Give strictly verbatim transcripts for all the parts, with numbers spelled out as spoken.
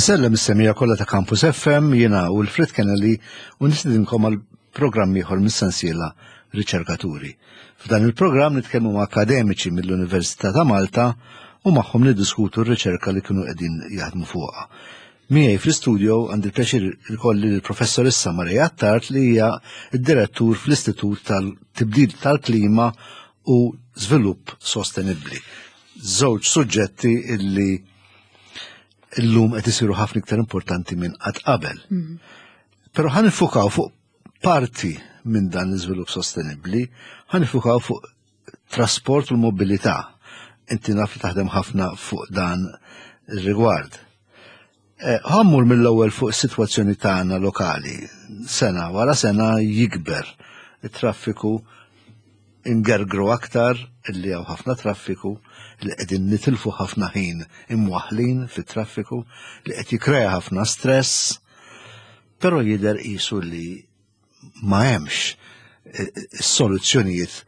Insellem is-semmiegħa kollha ta' Campus F M, jiena u Wilfred Kennelly u nistedinkom għal programm ieħor mis-sensiela Riċerkaturi. F'dan il-programm nitkellmu ma' akademiċi mill-Università ta' Malta u magħhom niddiskutu r-riċerka li kienu qegħdin jaħdmu fuqha. Miegħi fl-istudio għandi l-pjaċir ikolli l-professoressa Maria Attard, li hija d-direttur fl-Istitut tal-Tibdil tal-Klima u Żvilupp Sostenibbli. Żewġ suġġetti illi illum qed isiru ħafna iktar importanti minn qatt qabel. Però ħa niffukaw fuq parti minn dan l-iżvilupp sostenibbli, ħa niffukaw fuq trasport u l-mobilità. Inti naf li taħdem ħafna fuq dan ir-rigward. Eh, Ħa mmur mill-ewwel fuq is-sitwazzjoni tagħna lokali. Sena wara sena jikber it-traffiku, ingergru aktar illi hawn ħafna traffiku, li qegħdin nitilfu ħafna ħin imwaħlin fit-traffiku, li qed jikrea ħafna stress, però jidher qisu li ma hemmx eh, soluzzjonijiet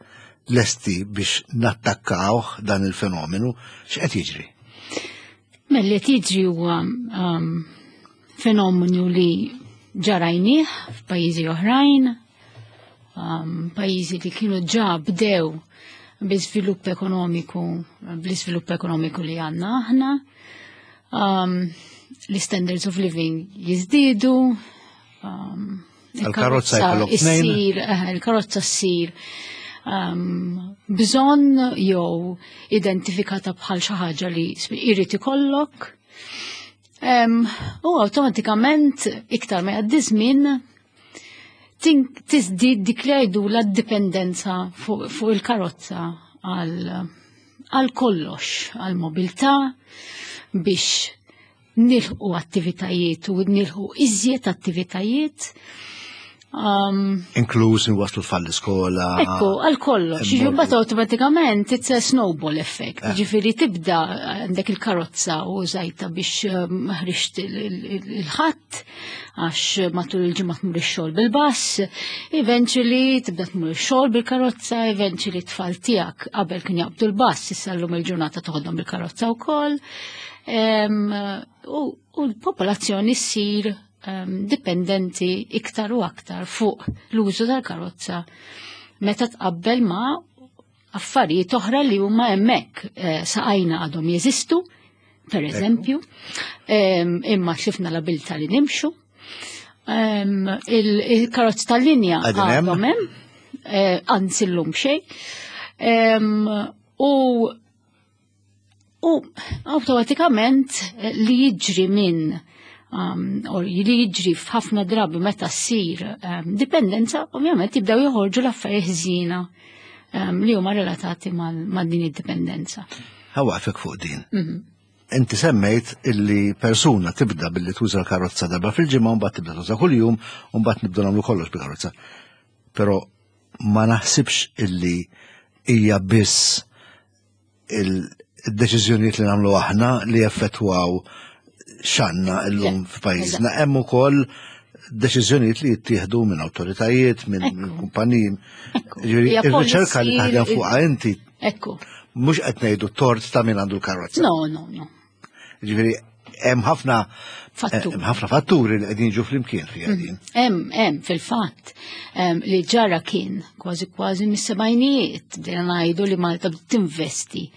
lesti biex nattakkaw dan il-fenomenu. X'qed jiġri? Mela, li jiġri huwa um, fenomenu li ġa rajnieh f'pajjiżi oħrajn, um, pajjiżi li kienu ġa bdew bi-żvilupp ekonomiku, bl-iżvilupp ekonomiku li għandna aħna. Um, l-standards of living jiżdiedu, um, Il-karozza jkollok tnejn. issir, eh, il-karozza ssir um, bżonn jew identifikata bħal xi ħaġa li irid ikollok. Um, u awtomatikament iktar ma jgħaddi żmien tiżdied dik li jgħidu la dipendenza fuq fu il-karozza għal għal kollox, għal mobilità, biex nilħu attivitajiet u nilħu iżjed attivitajiet. Um, Inkluż nwaslu tfal l-iskola. Ekku, għal kollox. Immorru. Ġifieri automatikament it's a snowball effect. Eh. Ġifieri tibda għandek il-karozza u użajtha biex um, ħriġt il-ħadd, għax matul il-ġimgħa tmur ix-xogħol bil-bus, eventually tibda tmur ix-xogħol bil-karozza, eventually tfal tiegħek qabel kien jaqbdu l-bus, issa llum il-ġurnata toħodhom bil-karozza wkoll. Em, U u l-popolazzjoni ssir em, dipendenti iktar u aktar fuq l-użu tal-karozza meta tqabbel ma' affarijiet oħra li huma hemmhekk. eh, saqajna għadhom jeżistu, per eżempju, em, imma tlifna l-abilità li nimxu. Em, il- Il-karozzi tal-linja Għadhom hemm? għadhom hemm, eh, anzi llum xejn. Em, U u awtomatikament eh, li jiġri minn um, u li jiġri f'ħafna drabi meta ssir um, dipendenza, ovvjament jibdew joħorġu l-affarijiet ħżiena um, li huma relatati mal ma' din id-dipendenza. Ħa nwaqqfek fuq din. Mhm. Inti semmejt illi persuna tibda billi tuża l-karozza darba fil-ġimgħa, mbagħad tibda tuża kuljum, u mbagħad nibdu nagħmlu kollox bil-karozza. Però ma naħsibx illi hija biss il-deċiżjonijiet li nagħmlu aħna li jaffettwaw x'għandna illum Le, f'pajjiżna. Hemm ukoll deċiżjonijiet li jittieħdu minn awtoritajiet, minn Ekku. minn kumpaniji. Ekku. Ġifieri, Hija ir-riċerka li policy- taħdem fuqha inti Ekku. mhux qed ngħidu tort ta' min għandu l-karozza. No, no, no. Ġifieri hemm ħafna Fattur. hemm ħafna fatturi li qegħdin jiġu flimkien fiha din. Hemm, hemm, fil-fatt, em, li ġara kien kważi kważi mis-sebgħinijiet bdejna ngħidu li Malta bdiet tinvesti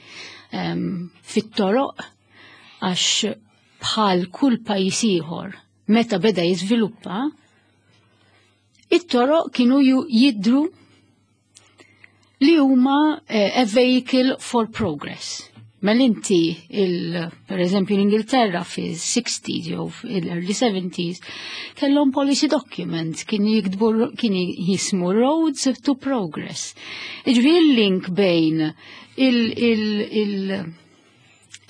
em, fit-toroq, għax bħal kull pajjiż ieħor meta beda jiżviluppa, it-toroq kienu ju- jidru li huma eh, a vehicle for progress. Mela inti, il, per eżempju, l-Ingilterra fi sixties jew fil-early seventies kellhom policy document kien jiktbu, kien jismu Roads to Progress. Ġifieri il-link bejn il, il, il,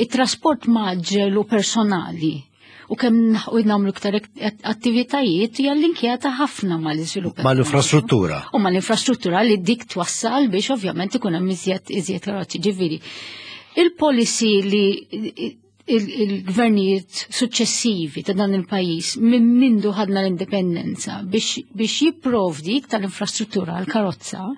il-trasport mgħaġġel u personali u kemm u nagħmlu iktar attivitajiet hija linkjata ħafna mal-iżvilupp Mal-infrastruttura. u mal-infrastruttura li dik twassal biex ovvjament ikun hemm iżjed iżjed karozzi. Ġifieri, il-policy li il-gvernijiet suċċessivi ta' dan il-pajjiż minn mindu ħadna l-indipendenza biex, biex jipprovdi iktar infrastruttura għal karozza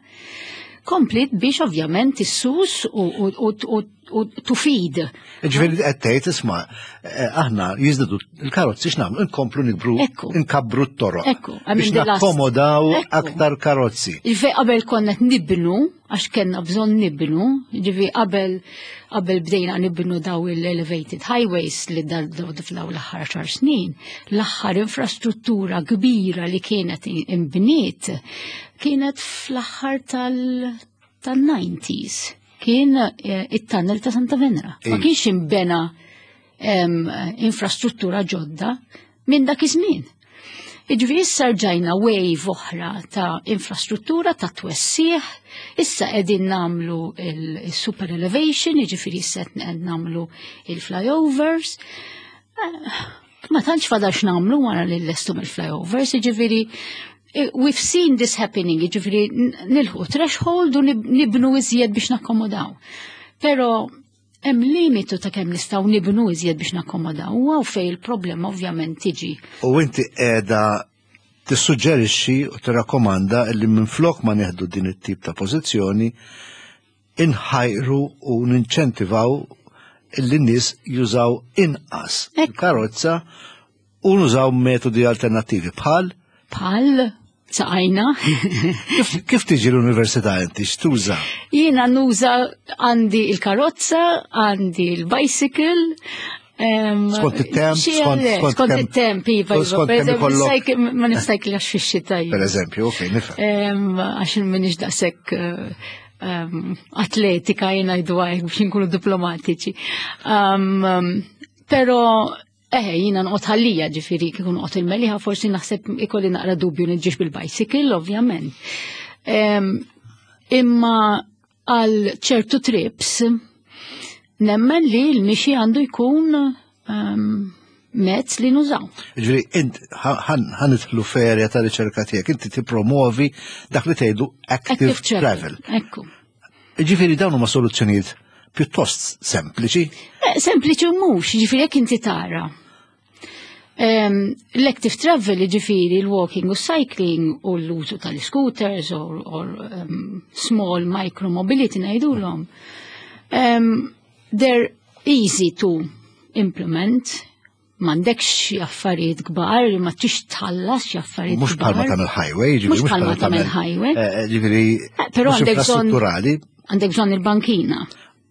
Komplit biex ovvjament issus u, u, u, u, u to feed. Ġifieri qed tgħid isma' eh, aħna jiżdiedu il-karozzi x'nagħmlu nkomplu nikbru Ekku. nkabbru t-toroq. Ekku, I mean Biex the last- nakkomodaw Ekku. aktar karozzi. Ġifieri qabel konna qed nibnu, għax kellna bżonn nibnu, ġifieri qabel qabel bdejna nibnu daw il-elevated highways li dal f'daw l-aħħar għaxar snin, l-aħħar infrastruttura kbira li kienet imbniet kienet fl-aħħar tal- tal-nineties. Kien eh, it-tunnel ta' Santa Venera. Ma Ej. kienx imbena em, infrastruttura ġodda minn dak iż-żmien. Iġifieri issa rġajna wave oħra ta' infrastruttura ta' twessiħ, issa qegħdin nagħmlu il-super elevation, jiġifieri issa qed nagħmlu il-flyovers. Eh, Ma tantx fadal x'nagħmlu wara li llestu mill-flyovers, jiġifieri eh, we've seen this happening, jiġifieri nilħqu threshold u nib- nibnu iżjed biex nakkomodaw. Pero hemm limitu ta' kemm nistgħu nibnu iżjed biex nakkomodaw, u hawn fejn il-problema ovvjament tiġi. U inti qiegħda tissuġġerixxi u tirrakkomanda li minflok ma neħdu din it-tip ta' pożizzjoni inħajru u ninċentivaw li n-nies jużaw inqas Ekku. karozza u nużaw metodi alternattivi bħal Bħal saqajna. kif, kif tiġi l-università inti x'tuża? Jiena nuża għandi il-karozza, għandi il-bicycle. em, Skont it-temp, xi skont- għale, skont skont kemm- it-temp, iva, iva, skont per kemm eżempju, ikollok- sajk- ma nistajklax fix-xita Per jien. eżempju, ok, nifhem. Em, Għax minix daqshekk eh, em, atletika jiena jgħidu hekk biex nkunu diplomatiċi. Um, um, Pero eħe, jiena noqgħod Ħal Lija ġifieri kieku noqgħod il-Mellieħa forsi naħseb ikolli naqra dubju niġix bil-bicycle, ovvjament. Em, Imma għal ċertu trips, nemmen li l-mixi għandu jkun um, mezz li nużaw. Ġifieri, int ħa nidħlu f'erja ta' riċerka tiegħek, inti tippromovi dak li tgħidu active travel. Ekku. Ġifieri dawn huma soluzzjonijiet pjuttost sempliċi. Eh, Sempliċi u mhux, ġifieri jekk inti tara. Um, L-active travel, ġifieri l-walking u cycling u l-użu tal-scooters or, or um, small micro mobility ngħidulhom. Um, they're easy to implement, m'għandekx xi affarijiet kbar, ma tix tħallas xi affarijiet Mhux bħalma kbar. tagħmel highway, ġifieri Mhux bħalma tagħmel highway. eh, Ġifieri Eh, però mhux għandek bżonn- infrastrutturali Għandek bżonn il-bankina.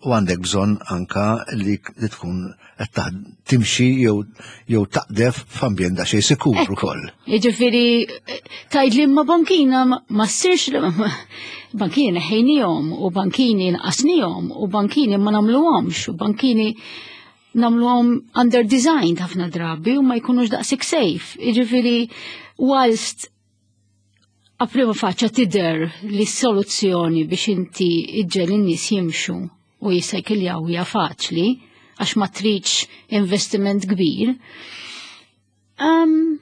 u għandek bżonn anka li li tkun qed taħ- timxi jew jew taqdef f'ambjent daqsxejn sikur Ekku. ukoll. Jiġifieri, tgħid li ma bankina ma- ma ssirx bankini neħħejnihom u bankini nqasnihom u bankini ma nagħmluhomx u bankini nagħmluhom under designed ħafna drabi u ma jkunux daqshekk safe. Jiġifieri, whilst a prima faċċa tidher li soluzzjoni biex inti iġġel in-nies jimxu u jissajkiljaw hija faċli għax ma tridx investiment kbir. Um,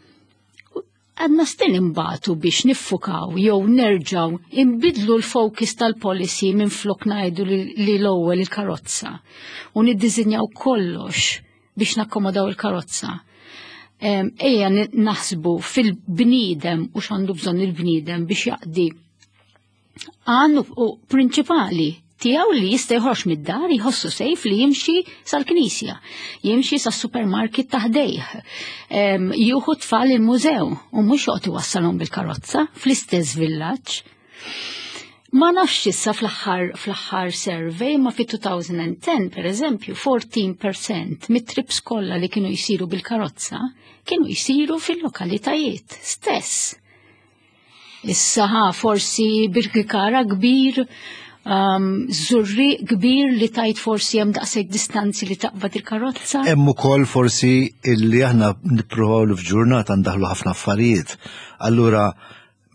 għadna still imbatu biex niffukaw jew nerġaw imbidlu l-focus tal-policy minn flok ngħidu li, li l-ewwel il-karozza u niddizinjaw kollox biex nakkomodaw il-karozza. Em, Ejja ni- naħsbu fil-bniedem u x'għandu bżonn il-bniedem biex jaqdi għandu u prinċipali tiegħu li jista' joħroġ mid-dar jħossu safe li jimxi sal-knisja, jimxi sas-supermarket ta' ħdejh, em, jieħu tfal il-mużew u mhux joqgħod iwassalhom bil-karozza fl-istess villaġġ. Ma nafx issa fl-aħħar fl-aħħar survey ma fi elfejn u għaxra per eżempju erbatax fil-mija mit-trips kollha li kienu jsiru bil-karozza kienu jsiru fil-lokalitajiet stess. Issa ħa forsi Birkirkara kbir, um, Żurrieq kbir li tajt forsi hemm daqshekk distanzi li taqbad il-karozza. Hemm ukoll forsi illi aħna nippruvaw li f'ġurnata ndaħlu ħafna affarijiet. Allura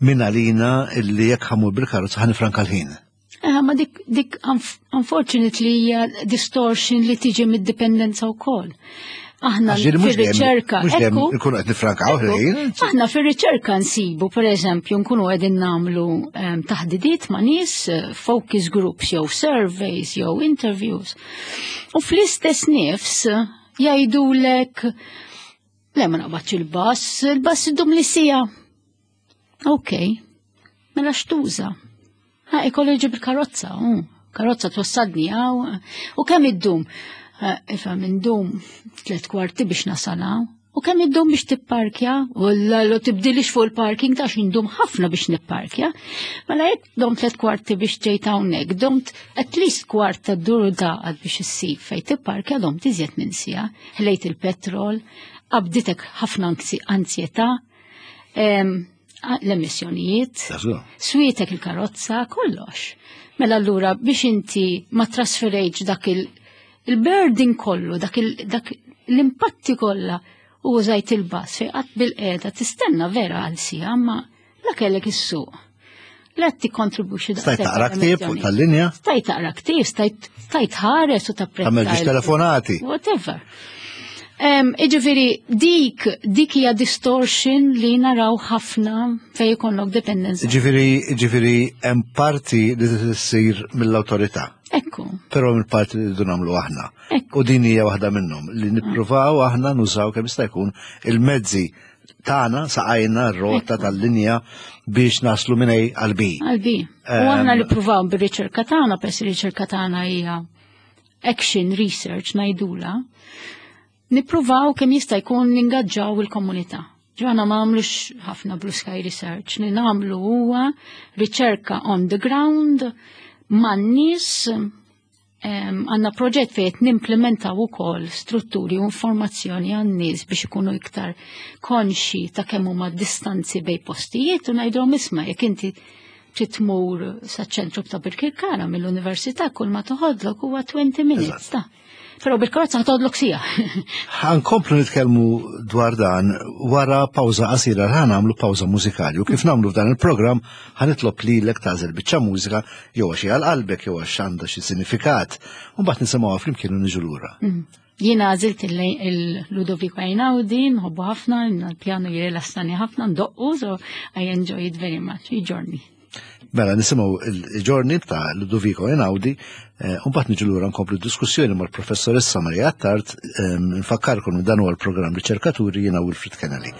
min għalina illi jekk ħa mmur bil-karozza ħa nifranka l-ħin. Eh, ma dik, dik unf- unfortunately hija distortion li tiġi mid-dipendenza wkoll. Aħna Għax ġieli mhux dejjem- fir-riċerka, mhux dejjem ekku, nkunu qed nifrankaw ekku, ħin. Aħna fir-riċerka nsibu, per eżempju, nkunu qegħdin nagħmlu em, taħdidiet ma' nies, eh, focus groups jew surveys jew interviews. U fl-istess nifs eh, jgħidulek le ma naqbadx il-bus, il-bus idum li siegħa. Ok, mela x'tuża? Ha, ikollu jġib il-karozza, mm. Karozza twassadni għaw. U kemm iddum? Ifhem, indum tliet kwarti biex nasal hawn. U kemm iddum biex tipparkja? U l tibdilix fuq il-parking ta' indum ħafna biex nipparkja. Mela jekk dom tliet kwarti biex ġejt hawnhekk, domt at least kwart ta' dur daqad biex issib fejn tipparkja dom tiżjed minn sija. Ħlejt il-petrol, qabditek ħafna anzjetà, l-emissjonijiet, swietek il-karozza, kollox. Mela allura biex inti ma trasferejtx dak il-burden kollu, dak l-impatti kollha u użajt il-bus fej qatt bil-qiegħda tistenna vera għal sija, ma la kellek is-suq. La tikkontribwixxi Stajt taqra ktieb fuq tal-linja? Stajt taqra ktieb, stajt stajt ħares u tapprezza. Tagħmel ġiex telefonati. Whatever. Iġifieri dik dik hija distortion li naraw ħafna fejn ikollok dependenza. Ġifieri ġifieri hemm parti li tissir mill-awtorità. Ekku. Però mill-parti li rridu nagħmlu aħna. U din hija waħda minnhom li nippruvaw aħna nużaw kemm jista' jkun il-mezzi tagħna saqajna r-rota tal-linja biex naslu minn A għal B. Għal B. U aħna li pruvaw bir-riċerka tagħna, pers ir-riċerka tagħna hija action research ngħidula, nippruvaw kemm jista' jkun ningaġġaw il-komunità. Ġo aħna ma nagħmlux ħafna blue sky research, li nagħmlu huwa riċerka on the ground man-nies. Għandna proġett fejn qed nimplementaw ukoll strutturi u informazzjoni għan-nies biex ikunu iktar konxi ta' kemm huma distanzi bejn postijiet u ngħidulhom isma' jekk inti trid tmur saċ-ċentru ta' Birkirkara mill-università kull ma toħodlok huwa twenty minutes ta'. Però bil-karozza ħtoħodlok sija. Ħankomplu nitkellmu dwar dan wara pawża qasira, ħa nagħmlu pawża mużikali. U kif nagħmlu f'dan il-programm ħa nitlob lilek tagħżel biċċa mużika jew għax għal qalbek jew għax għandha xi sinifikat. U mbagħad nisimgħuha flimkien u niġu lura. Jiena għażilt il-Ludovico Einaudi, nħobbu ħafna, l-pjanu jirelassani ħafna, ndoqqu, so I enjoy it very much, I Giorni. Mela nisimgħu I Giorni ta' Ludovico Einaudi, u mbagħad niġu lura nkomplu diskussjoni mal-professoressa Maria Attard. Nfakkarkom dan huwa l-programm Riċerkaturi, jiena Wilfred Kennelly.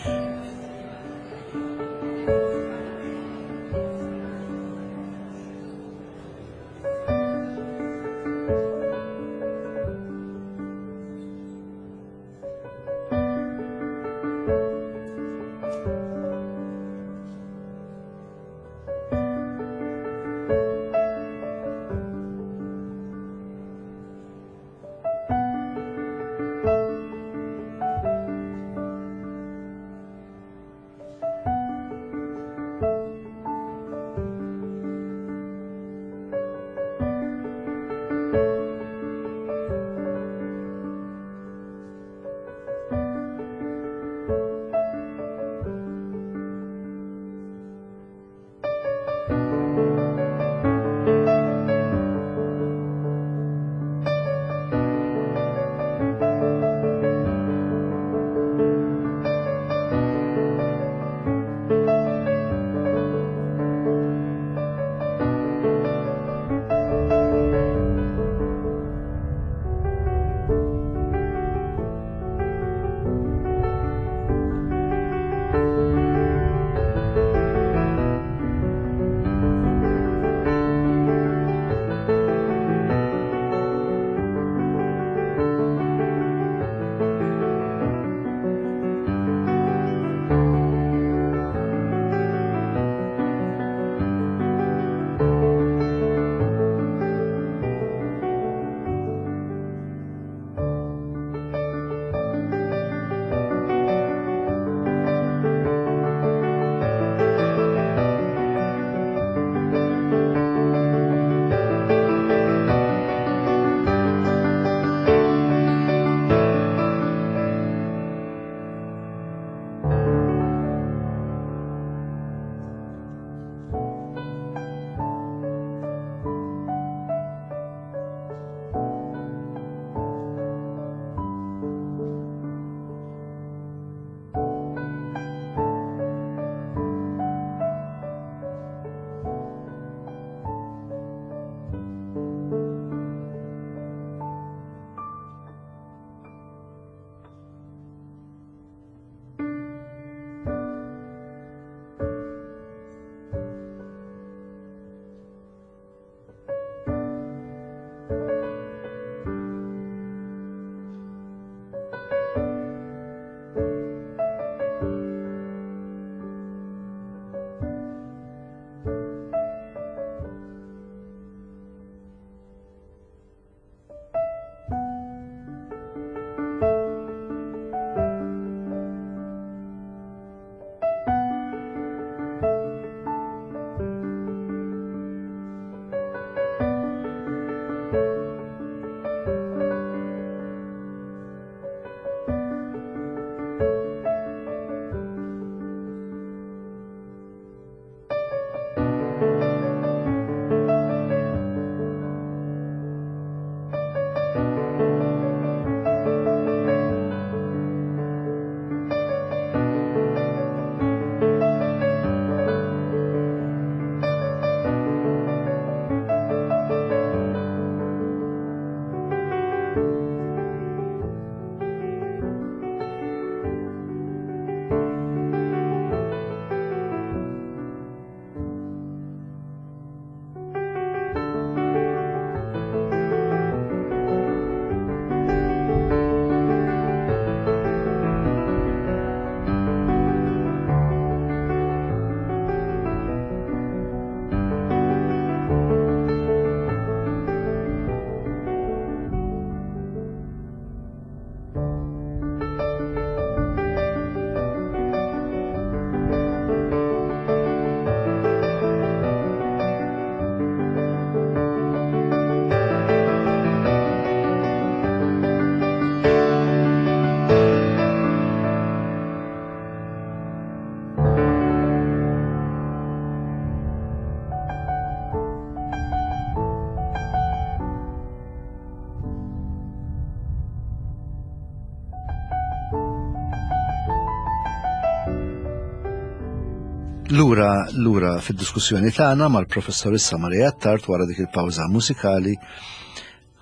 Lura, lura fid-diskussjoni tagħna mal-professorissa Maria Attard wara dik il-pawża mużikali,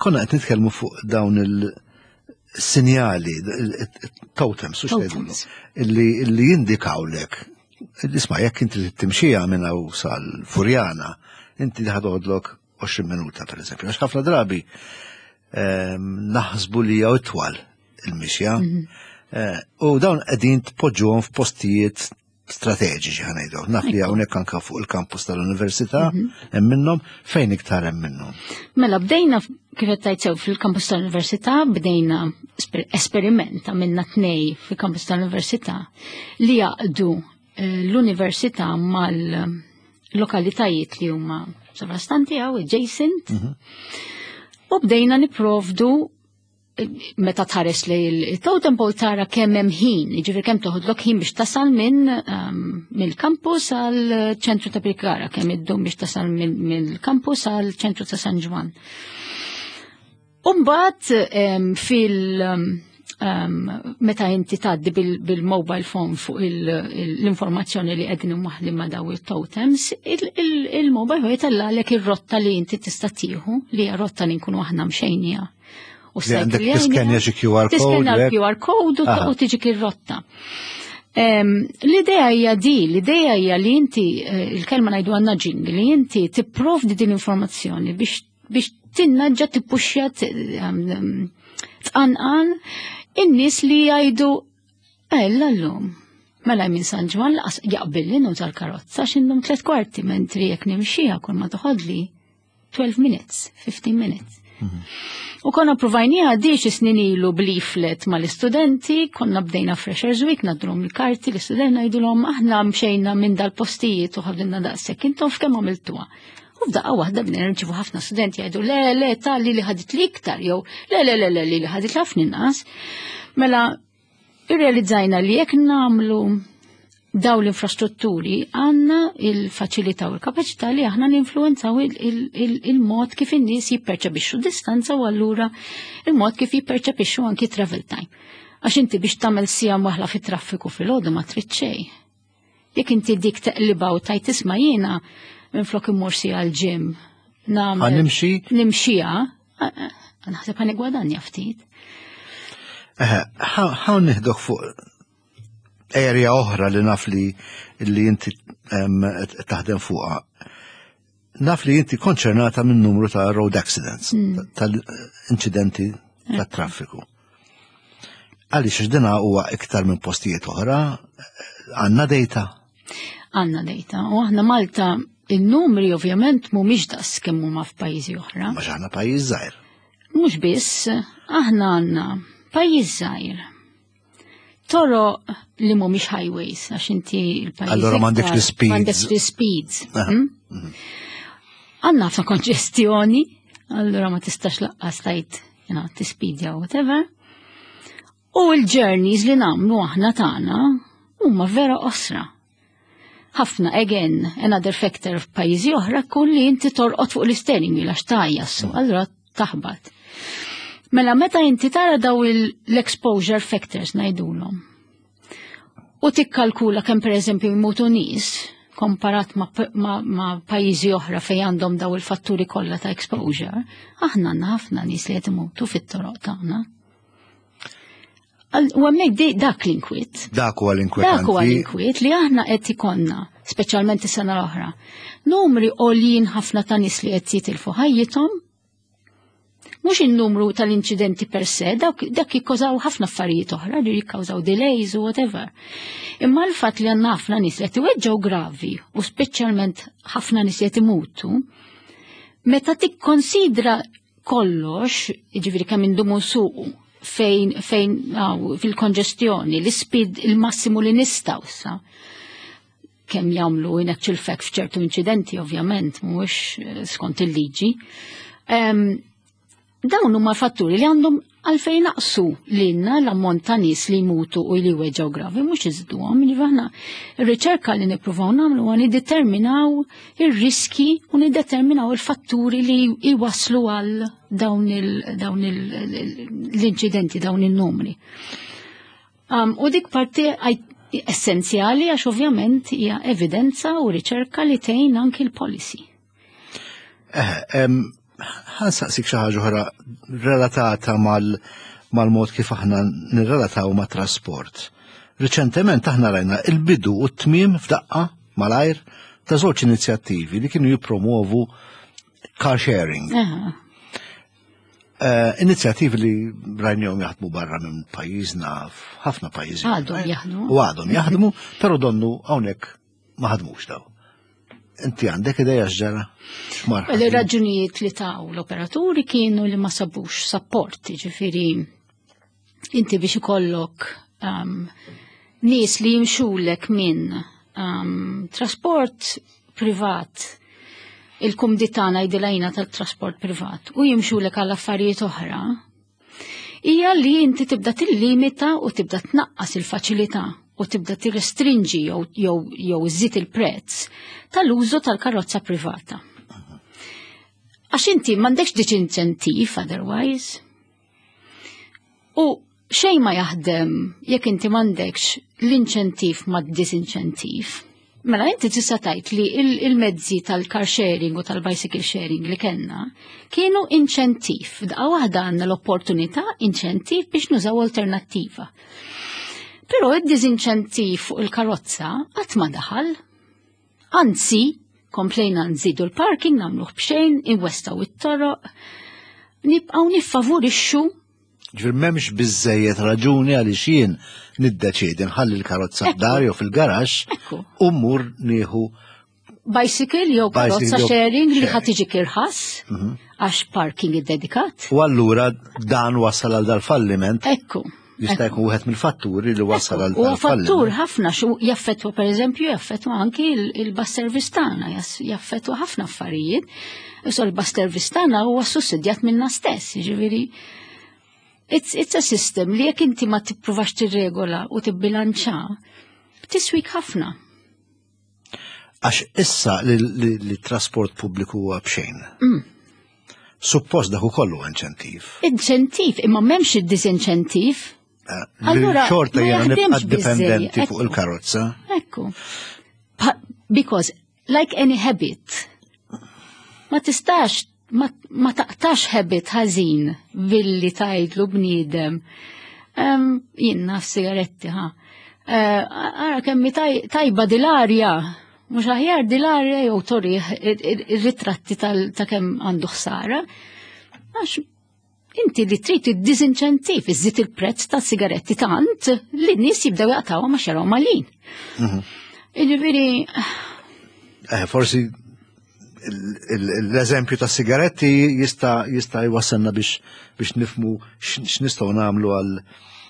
konna qed nitkellmu fuq dawn il-sinjali, totems, u Totems. illi illi jindikawlek. Isma', jekk inti timxija minn hawn sal-Furjana, inti ħa toħodlok għoxrin minuta, per eżempju. Għax ħafna drabi ehm, naħsbu li jew itwal il-mixja. Eh, U dawn qegħdin tpoġġuhom f'postijiet strateġiċi, ħa ngħidu. Naf li hawnhekk anka fuq il-kampus tal-università hemm minnhom. Fejn iktar hemm minnhom? Mela, bdejna, kif qed tgħid sew, fil-kampus tal-università, bdejna esper- esperiment, għamilna tnej fil-kampus tal-università li jgħaqqdu eh, l-università mal-lokalitajiet li huma sovrastanti għaw, adjacent. U bdejna nipprovdu eh, meta tħares li il-totem pole tara kemm hemm ħin, jiġifieri kemm toħodlok ħin biex tasal minn um, mill-campus għal ċentru ta' Birkirkara, kemm iddum biex tasal mill- mill-campus għal ċentru ta' San Ġwann. Umbagħad um, fil- um, meta inti tgħaddi bil- bil-mobile phone fuq il- il- l-informazzjoni li qegħdin imwaħħlin ma' daw il-totems, il- il-mobile phone jtellagħlek ir-rotta li inti tista' tieħu, li hija rotta li nkunu aħna mxejnija. U Li għandek tiskennja xi Q R code, Tiskennja hekk? l-Q R code u Aha. u tiġik ir-rotta. Em, L-idea hija di, l-idea hija li inti, eh, il-kelma ngħidu għandna nudging, li inti tipprovdi din l-informazzjoni biex biex tinnaġġa, tippuxja, t- em, tqanqal in-nies li jgħidu: "Ella llum. Mela minn San Ġwann laqas jaqbilli nuża l-karozza għax indum tliet kwarti, mentri jekk nimxija kull ma toħodli twelve minutes, fifteen minutes." U konna provajnieha di xi snin ilu b'leaflet mal-istudenti, konna bdejna Freshers Week, ngħaddulhom il-karti l-istudenti, ngħidulhom: "Aħna mxejna minn dal-postijiet u ħadilna daqshekk, intom f'kemm għamiltuha?" U f'daqqa waħda bdejna nirċivu ħafna studenti jgħidu: "Le, le, tal-li li ħadit li iktar", jew "Le, le, le, le, li li ħadit ħafna inqas." Mela, irrealizzajna li jekk nagħmlu daw l-infrastrutturi għandna il-faċilità u l-kapaċità li aħna ninfluenzaw il-mod kif in-nies jipperċepixxu distanza u allura il-mod kif jipperċepixxu anki travel time. Għax inti biex tagħmel siegħa waħla fit-traffiku fil-għodu ma trid xejn. Jekk inti dik teqliba u tgħid: "Isma', jiena minflok immur siegħa l-gym nagħmel nimxi? Nimxija, naħseb ħa nigwadanja ftit." Ħa nieħdok fuq area oħra li naf li li inti taħdem fuqha. Naf li inti konċernata minn numru ta' road accidents, mm. tal-incidenti ta' traffiku. Għaliex dina huwa iktar minn postijiet oħra, għandna data? Għandna data. U aħna Malta il-numri ovvjament mhumiex daqs kemm huma f'pajjiżi oħra. Ma aħna pajjiż żgħir. Mhux biss, aħna għandna pajjiż żgħir. Toroq li mhumiex highways, għax inti il-pajjiż. Allora m'għandekx l-speeds. M'għandekx l-speeds. Hmm? Mhm. Għandna ħafna konġestjoni, allora ma tistax lanqas tgħid, you know, tispidja, whatever. U l-journeys li nagħmlu aħna tagħna huma vera qosra. Ħafna, again, another factor f'pajjiżi oħra kun li inti torqod fuq l-steering wheel għax tgħajja, mm. allura taħbat. Mela meta inti tara daw l-exposure factors ngħidulhom. U tikkalkula kemm pereżempju jmutu nies komparat ma, ma, ma pajjiżi oħra fejn għandhom daw il-fatturi kollha ta' exposure, aħna għandna ħafna nies li qed imutu fit-toroq tagħna. U hemmhekk dak l-inkwiet. Dak huwa l-inkwiet. Dak huwa l-inkwiet li aħna qed ikollna, speċjalment is-sena l-oħra. Numri għoljin ħafna ta' nies li qed jitilfu ħajjithom, mhux il-numru tal-inċidenti per se, dak, dak jikkawżaw ħafna affarijiet oħra, li jikkawżaw delays u whatever. Imma l-fatt li għandna ħafna nies li qed iweġġgħu gravi u speċjalment ħafna nies li qed imutu, meta tikkonsidra kollox, jiġifieri kemm indumu nsuqu, fejn fejn aw, fil-konġestjoni, l-speed il-massimu li nistgħu sa kemm jagħmlu in actual fact f'ċertu inċidenti ovvjament mhuwiex eh, skont il-liġi. Um, dawn huma fatturi li għandhom għalfejn naqsu lilna l-ammont ta' nies li jmutu u li weġġgħu gravi, mhux iżiduhom. Jiġifieri aħna ir-riċerka li nippruvaw nagħmlu huwa niddeterminaw ir-riski u niddeterminaw il-fatturi li jwaslu għal dawn il- dawn il- l-inċidenti, dawn il-numri. Um, u dik parti Essenzjali għax ovvjament hija evidenza u riċerka li tgħin anki l-policy. Eh, ħa nsaqsik xi ħaġa oħra relatata mal mal-mod kif aħna nirrelataw ma' trasport. Riċentement aħna rajna il-bidu u t-tmiem f'daqqa malajr ta' żewġ inizjattivi li kienu jippromovu car sharing. Uh, inizjattivi li rajnihom jaħdmu barra minn pajjiżna f'ħafna pajjiżi. Għadhom jaħdmu. U għadhom jaħdmu, però donnu hawnhekk ma ħadmux daw. Inti għandek ideja x'ġara? Il-raġunijiet li taw l-operaturi kienu li ma sabux support, ġifieri inti biex ikollok um, nies li jimxulek minn um, trasport privat, il-kumdità ngħidilha tal-trasport privat, u jimxulek għal affarijiet oħra, hija li inti tibda tillimita u tibda tnaqqas il-faċilità u tibda tirrestrinġi jew jew jew iżżid il-prezz tal-użu tal-karozza privata. Għax inti m'għandekx disinċentiv otherwise. U xejn ma jaħdem jekk inti m'għandekx l-inċentiv ma disinċentiv. Mela inti tista' tgħid li il-mezzi tal-car sharing u tal-bicycle sharing li kellna kienu inċentiv. Daqqa waħda għandna l-opportunità, inċentiv biex nużaw alternattiva. Però id-disinċentiv fuq il-karozza qatt ma daħal. Anzi, komplejna nżidu l-parking, nagħmluh b'xejn, inwessgħu it-toroq, nibqgħu niffavorixxu. Ġifieri m'hemmx biżejjed raġuni għaliex jien niddeċiedi nħalli l-karozza f'dar jew fil-garaxx u mmur nieħu bicycle jew karozza sharing li ħa tiġi irħas mhm. għax parking iddedikat. U allura dan wassal għal dal-falliment. Ekku. Jista' jkun wieħed mill-fatturi li wassal għal. U fattur ħafna xu jaffettwa, pereżempju, jaffettwa anki il-bus service tagħna, jaffettwa ħafna affarijiet. Issa l-bus service tagħna huwa sussidjat minna stess, jiġifieri It's, it's a system li jekk inti ma tippruvax tirregola u tibbilanċa, tiswik ħafna. Għax issa li, li, li trasport pubbliku huwa b'xejn. Mm. Suppost dak ukoll huwa inċentiv. Inċentiv, imma m'hemmx id-disinċentiv. Eh, Allura, xorta jiena nibqa' dipendenti fuq il-karozza. Ekku. Because like any habit, ma tistax ma, ma taqtax habit ħażin billi tgħidlu bniedem. Um, jien naf sigaretti, ha. Uh, ara kemmi tajba dil-arja, mhux aħjar dil-arja, jew turih ir-ritratti ta' kemm għandu ħsara. Għax inti li trid id-disinċentiv, iżżid il-prezz ta' sigaretti tant li n-nies jibdew jaqtgħu ma xaraw malin. Mhm. Jiġifieri. Eh, forsi l-eżempju ta' sigaretti jista' jista' jwassalna biex biex nifmu x'nistgħu nagħmlu għal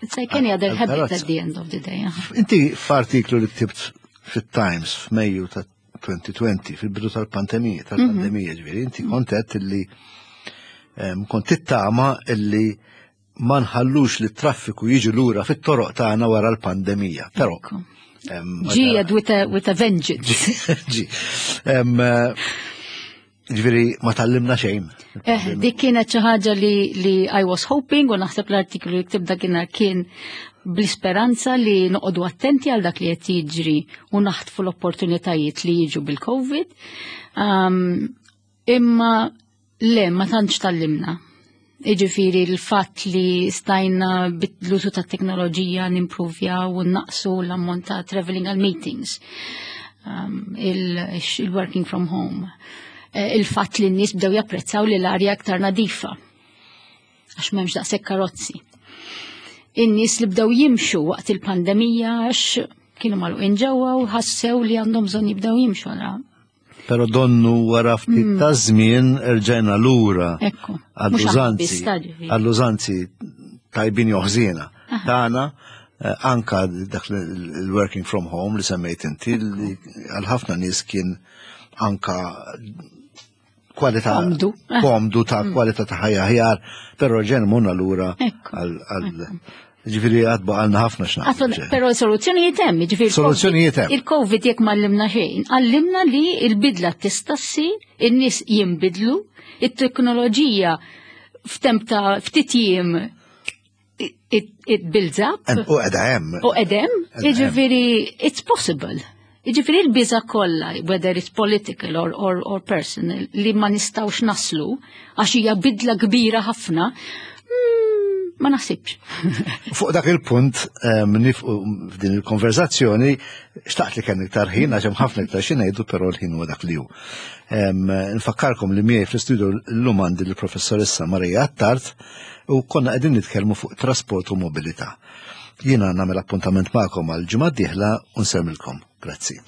It's like any other habit at the end of the day. Inti f'artiklu li ktibt fit-Times f'Mejju ta' elfejn u għoxrin, fil-bidu tal-pandemija, tal-pandemija ġifieri, inti kont għedt illi kont tittama illi ma nħallux li traffiku jiġi lura fit-toroq tagħna wara l-pandemija. Però Ġi with a, with a vengeance. Ġi. Ġifieri ma tgħallimna xejn. Eh, dik kienet xi ħaġa li, li I was hoping, u naħseb l-artiklu li ktibt dakinhar kien bl-isperanza li noqogħdu attenti għal dak li qed jiġri u naħtfu l-opportunitajiet li jiġu bil-Covid. Um, imma le, ma tantx tgħallimna. Iġifieri l-fatt li stajna bl-użu ta' teknoloġija nimprovjaw u naqsu l-ammont ta' traveling għal meetings, um, il-working from home. Eh, il-fatt li n-nies bdew japprezzaw li l-arja aktar nadifa għax m'hemmx daqshekk karozzi. In-nies li bdew jimxu waqt il-pandemija għax kienu magħluqin ġewwa u ħassew li għandhom bżonn jibdew jimxu għara. Pero donnu wara ftit mm. ta' żmien erġajna lura għall-użanzi għall-użanzi tajbin jew ħżiena tagħna, eh, anka dak il-working from home li semmejt inti, li għal ħafna nies kien anka kwalità komdu, komdu ta' mm. kwalità ta' ħajja aħjar, però ġen munna lura għal. Ġifieri għad baqgħalna ħafna x'nagħmlu. Però soluzzjonijiet hemm, ġifieri. Soluzzjonijiet hemm. Il-Covid jekk m'għallimna xejn, għallimna li il-bidla tista' ssir, in-nies jinbidlu, it-teknoloġija f'temp ta' ftit jiem it, it builds up. U qegħda hemm. U qegħda hemm. Jiġifieri, it's possible. Jiġifieri l-biża kollha, whether it's political or, or, or personal, li ma nistgħux naslu, għax hija bidla kbira ħafna, mm, ma naħsibx. Fuq dak il-punt, nieqfu f'din il-konverzazzjoni, xtaqt li kien iktar ħin, għax hemm ħafna iktar xi ngħidu, però l-ħin huwa dak li hu. Nfakkarkom li miegħi fl-istudio llum għandi l-professoressa Maria Attard u konna qegħdin nitkellmu fuq trasport u mobilità. Jiena nagħmel appuntament magħkom għal ġimgħa d-dieħla u nsellmilkom. Grazzi.